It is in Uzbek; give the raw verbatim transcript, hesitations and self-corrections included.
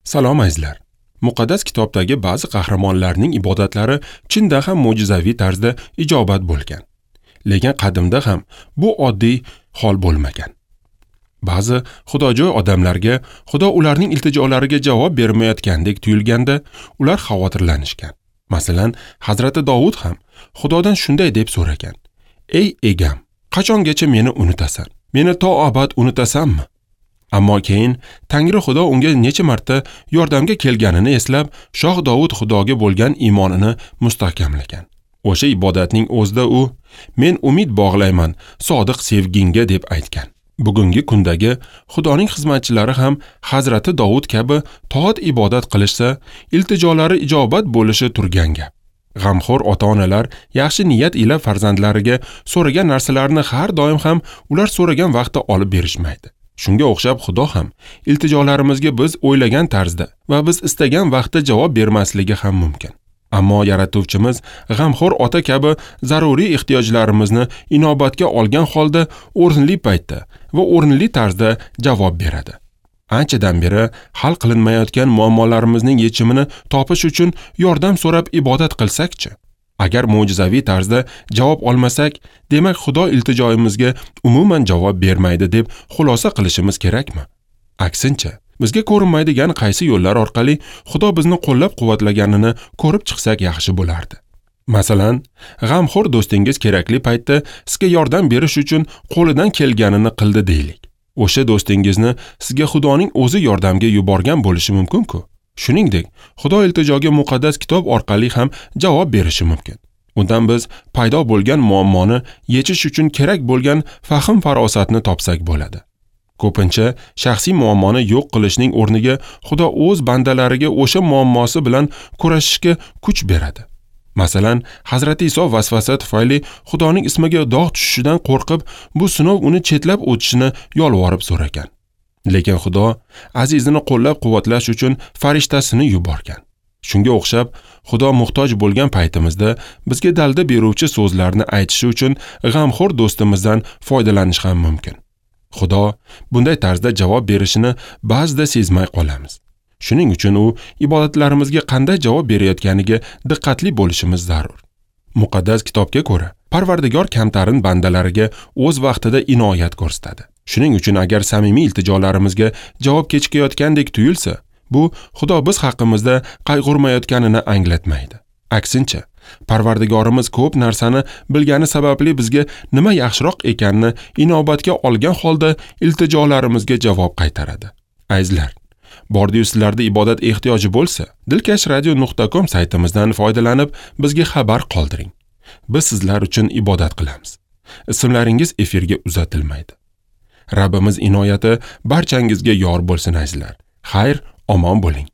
Salom azizlar. Muqaddas kitobdagi ba'zi qahramonlarning ibodatlari chindan ham mo'jizaviy tarzda ijobat bo'lgan. Lekin qadimda ham bu oddiy hol bo'lmagan. Ba'zi xudojo'y odamlarga Xudo ularning iltijolariga javob bermayotgandek tuyulganda ular xavotirlanishgan. Masalan, Hazrati Dovud ham Xudodan shunday deb so'ragan: "Ey egam, qachongacha meni unutasan? Meni to abad unutasanmi?" Ammo keyin Tangri Xudo unga necha marta yordamga kelganini eslab, Shoh Dovud Xudoga bo'lgan iymonini mustahkamlagan. O'sha ibodatning o'zida u "Men umid bog'layman sodiq sevgingga" deb aytgan. Bugungi kundagi Xudoning xizmatchilari ham Hazrati Dovud kabi toat ibodat qilishsa, iltijolari ijobat bo'lishi turgan gap. G'amxo'r ota-onalar yaxshi niyat ila farzandlariga so'ragan narsalarini har doim ham ular so'ragan vaqtda olib berishmaydi. Shunga o'xshab Xudo ham iltijolarimizga biz o'ylagan tarzda va biz istagan vaqtda javob bermasligi ham mumkin. Ammo yaratuvchimiz g'amxo'r ota kabi zaruriy ehtiyojlarimizni inobatga olgan holda o'rinli paytda va o'rinli tarzda javob beradi. Anchadan beri hal qilinmayotgan muammolarimizning yechimini topish uchun yordam so'rab ibodat qilsak-chi? Agar mo'jizaviy tarzda javob olmasak, demak Xudo iltijoyimizga umuman javob bermaydi deb xulosa qilishimiz kerakmi? Aksincha, bizga ko'rinmaydigan qaysi yo'llar orqali Xudo bizni qo'llab-quvvatlaganini ko'rib chiqsak yaxshi bo'lardi. Masalan, g'amxo'r do'stingiz kerakli paytda sizga yordam berish uchun qo'lidan kelganini qildi deylik. O'sha do'stingizni sizga Xudoning o'zi yordamga yuborgan bo'lishi mumkin-ku. Shuningdek, Xudo iltijoga muqaddas kitob orqali ham javob berishi mumkin. Undan biz paydo bo'lgan muammoni yechish uchun kerak bo'lgan fahm-farosatni topsak bo'ladi. Ko'pincha shaxsiy muammoni yo'q qilishning o'rniga Xudo o'z bandalariga o'sha muammosi bilan kurashishga kuch beradi. Masalan, Hazrati Iso vasvasa tufayli Xudoning ismiga dog' tushishidan qo'rqib, bu sinov uni chetlab o'tishini yolvorib so'ragan. Lekin Xudo azizini qo'llab-quvvatlash uchun farishtasini yuborgan. Shunga o'xshab, Xudo muhtoj bo'lgan paytimizda bizga dalda beruvchi so'zlarni aytishi uchun g'amxo'r do'stimizdan foydalanish ham mumkin. Xudo bunday tarzda javob berishini ba'zida sezmay qolamiz. Shuning uchun u ibodatlarimizga qanday javob berayotganiga diqqatli bo'lishimiz zarur. Muqaddas kitobga ko'ra, Parvardigor kamtarin bandalariga o'z vaqtida inoyat ko'rsatadi. Shuning uchun agar samimiy iltijolarimizga javob kechikayotgandek tuyulsa, bu Xudo biz haqimizda qayg'urmayotganini anglatmaydi. Aksincha, Parvardigorimiz ko'p narsani bilgani sababli bizga nima yaxshiroq ekanini inobatga olgan holda iltijolarimizga javob qaytaradi. Azizlar, bordiyu sizlarda ibodat ehtiyoji bo'lsa, dilkash radio nuqta com saytimizdan foydalanib bizga xabar qoldiring. Biz sizlar uchun ibodat qilamiz. Ismlaringiz efirga uzatilmaydi. Rabbimiz inoyati barchangizga yor bo'lsin azizlar. Xayr, omon bo'ling.